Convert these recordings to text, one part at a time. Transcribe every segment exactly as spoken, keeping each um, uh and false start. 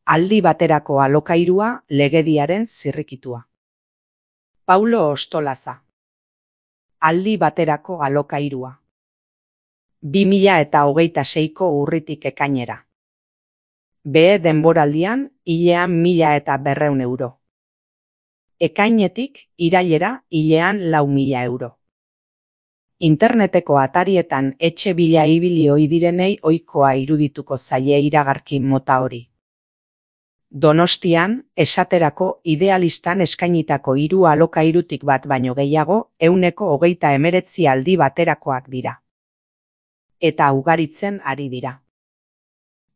Aldi baterako alokairua legediaren zirrikitua. Paulo Ostolaza. Aldi baterako alokairua. bi mila eta hogeita seiko urritik ekainera. Behe denboraldian hilean mila eta berreun euro. Ekainetik irailera hilean lau mila euro. Interneteko atarietan etxe bila ibili ohi direnei ohikoa irudituko zaie iragarki mota hori. Donostian, esaterako idealistan eskainitako hiru alokairutik bat baino gehiago, ehuneko hogeita hemeretzi aldi baterakoak dira. Eta ugaritzen ari dira.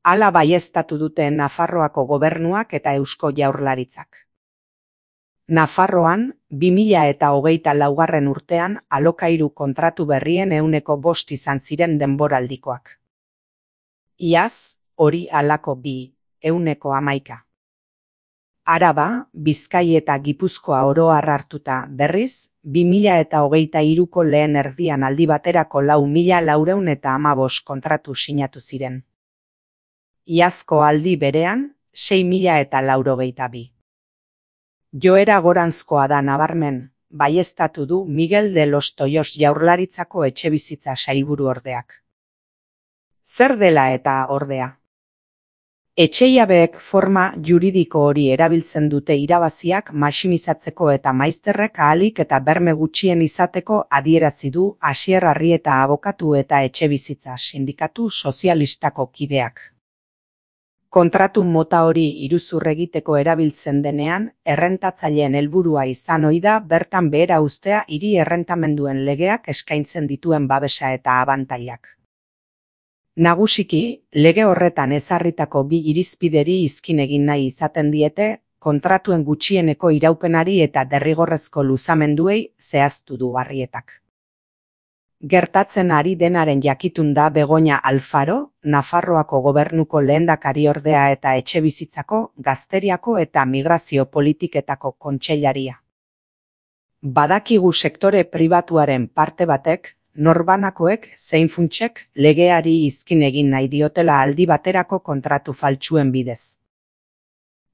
Hala baieztatu dute Nafarroako gobernuak eta Eusko Jaurlaritzak. Nafarroan, bi mila eta hogeita laugarren urtean alokairu kontratu berrien ehuneko bost izan ziren denboraldikoak. Iaz, hori halako bi, ehuneko hamaika. Araba, Bizkai eta Gipuzkoa oro har hartuta berriz, bi mila eta hogeita hiruko lehen erdian aldi baterako lau mila laurehun eta hamabost kontratu sinatu ziren. Iazko aldi berean, sei mila eta laurogeita bi. Joera goranzkoa da nabarmen, baieztatu du Miguel de los Toyos Jaurlaritzako etxebizitza sailburuordeak. Zer dela eta ordea? Etxejabeek forma juridiko hori erabiltzen dute irabaziak maximizatzeko eta maizterrek ahalik eta berme gutxien izateko adierazi du Asier Arrieta abokatu eta etxebizitza sindikatu sozialistako kideak. Kontratu mota hori iruzur egiteko erabiltzen denean, errentatzaileen helburua izan ohi da bertan behera uztea hiri errentamenduen legeak eskaintzen dituen babesa eta abantailak. Nagusiki, lege horretan ezarritako bi irizpideri izkin egin nahi izaten diete, kontratuen gutxieneko iraupenari eta derrigorrezko luzamenduei zehaztu du Arrietak. Gertatzen ari denaren jakitun da Begoña Alfaro, Nafarroako gobernuko lehendakariordea eta etxebizitzako, gazteriako eta migrazio politiketako kontseilaria. Badakigu sektore pribatuaren parte batek, norbanakoek zein funtsek legeari izkin egin nahi diotela aldi baterako kontratu faltsuen bidez.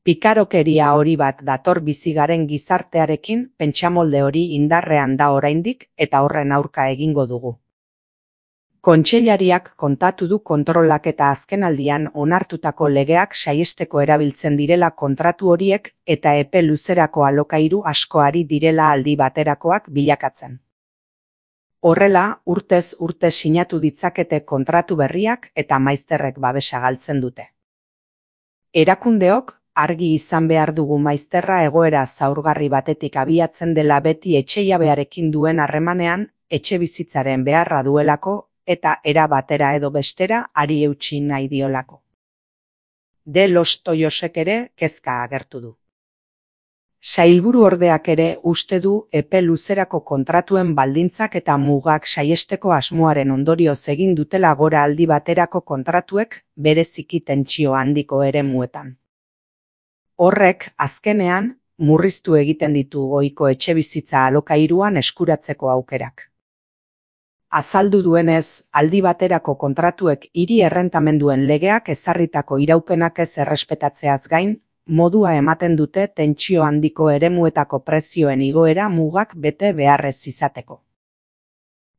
Pikarokeria hori bat dator bizi garen gizartearekin, pentsamolde hori indarrean da oraindik eta horren aurka egingo dugu. Kontseilariak kontatu du kontrolak eta azkenaldian onartutako legeak saihesteko erabiltzen direla kontratu horiek eta epe luzerako alokairu askoari direla aldi baterakoak bilakatzen. Horrela, urtez urte sinatu ditzakete kontratu berriak eta maizterrek babesa galtzen dute. Erakundeok, argi izan behar dugu maizterra egoera zaurgarri batetik abiatzen dela beti etxejabearekin duen harremanean, etxebizitzaren beharra duelako eta era batera edo bestera ari eutsi nahi diolako. De los Toyosek ere kezka agertu du. Sailburuordeak ere uste du epe luzerako kontratuen baldintzak eta mugak saihesteko asmoaren ondorioz egin dutela gora aldi baterako kontratuek bereziki tentsio handiko eremuetan. Horrek, azkenean, murriztu egiten ditu ohiko etxebizitza alokairuan eskuratzeko aukerak. Azaldu duenez, aldi baterako kontratuek hiri errentamenduen legeak ezarritako iraupenak ez errespetatzeaz gain, modua ematen dute tentsio handiko eremuetako prezioen igoera mugak bete beharrez izateko.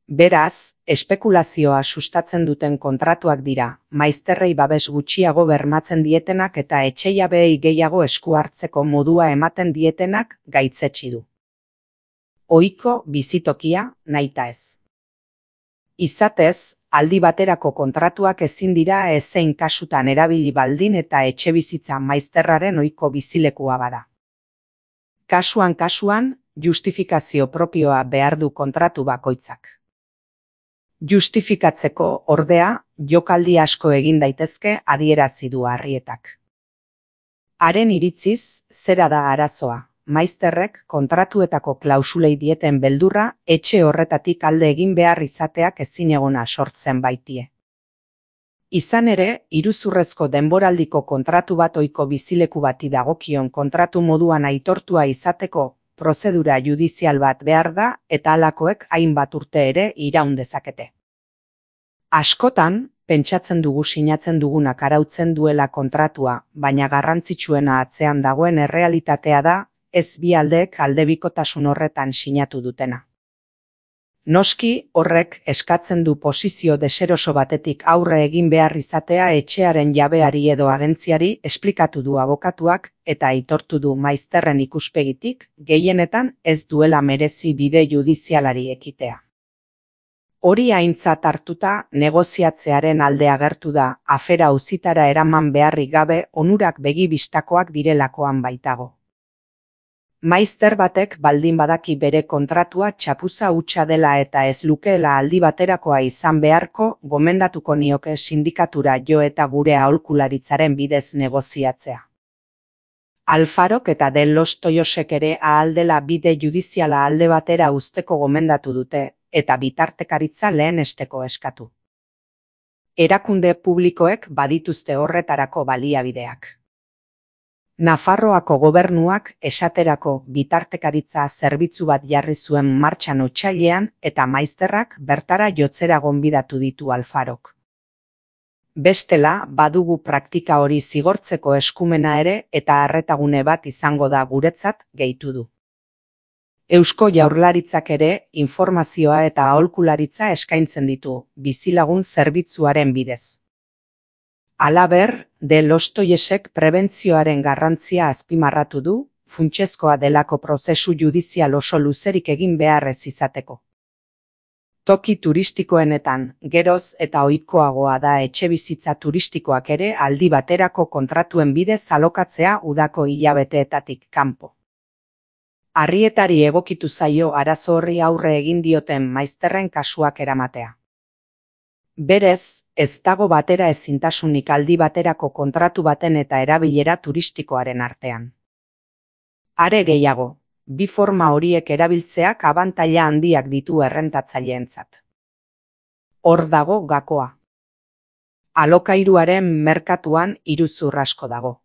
Beraz, espekulazioa sustatzen duten kontratuak dira, maizterrei babes gutxiago bermatzen dietenak eta etxejabeei gehiago esku hartzeko modua ematen dietenak gaitzetsi du. Ohiko bizitokia nahita ez. Izatez, aldi baterako kontratuak ezin dira ezein kasutan erabili baldin eta etxebizitza maizterraren ohiko bizilekua bada. Kasuan kasuan, justifikazio propioa behar du kontratu bakoitzak. Justifikatzeko, ordea, jokaldi asko egin daitezke adierazi du Arrietak. Haren iritziz, zera da arazoa. Maizterrek kontratuetako klausulei dieten beldurra etxe horretatik alde egin behar izateak ezinegona sortzen baitie. Izan ere, iruzurrezko denboraldiko kontratu bat ohiko bizileku bati dagokion kontratu moduan aitortua izateko prozedura judizial bat behar da eta halakoek hainbat urte ere iraun dezakete. Askotan, Pentsatzen dugu sinatzen dugunak arautzen duela kontratua, baina garrantzitsuena atzean dagoen errealitatea da, ez bi aldeek aldebikotasun horretan sinatu dutena. Noski, horrek eskatzen du posizio deseroso batetik aurre egin behar izatea etxearen jabeari edo agentziari esplikatu du abokatuak eta aitortu du maizterren ikuspegitik, gehienetan ez duela merezi bide judizialari ekitea. Hori aintzat hartuta negoziatzearen alde agertu da, afera auzitara eraman beharrik gabe onurak begi bistakoak direlakoan baitago. Maizter batek baldin badaki bere kontratua txapuza hutsa dela eta ez lukeela aldi baterakoa izan beharko, gomendatuko nioke sindikatura jo eta gure aholkularitzaren bidez negoziatzea. Alfarok eta De Los Toyosek ere ahal dela bide judiziala alde batera uzteko gomendatu dute, eta bitartekaritza lehenesteko eskatu. Erakunde publikoek badituzte horretarako baliabideak. Nafarroako gobernuak esaterako bitartekaritza zerbitzu bat jarri zuen martxan otsailean eta maizterrak bertara jotzera gonbidatu ditu Alfarok. Bestela, badugu praktika hori zigortzeko eskumena ere eta arretagune bat izango da guretzat, gehitu du. Eusko Jaurlaritzak ere informazioa eta aholkularitza eskaintzen ditu, bizilagun zerbitzuaren bidez. Halaber, De Los Toyosek prebentzioaren garrantzia azpimarratu du, funtsezkoa delako prozesu judizial oso luzerik egin beharrez izateko. Toki turistikoenetan, geroz eta ohikoagoa da etxebizitza turistikoak ere aldi baterako kontratuen bidez alokatzea udako hilabeteetatik kanpo. Arrietari egokitu zaio arazo horri aurre egin dioten maizterren kasuak eramatea. Berez, ez dago batera ezintasunik aldi baterako kontratu baten eta erabilera turistikoaren artean. Are gehiago, bi forma horiek erabiltzeak abantaila handiak ditu errentatzaileentzat. Hor dago gakoa. Alokairuaren merkatuan iruzur asko dago.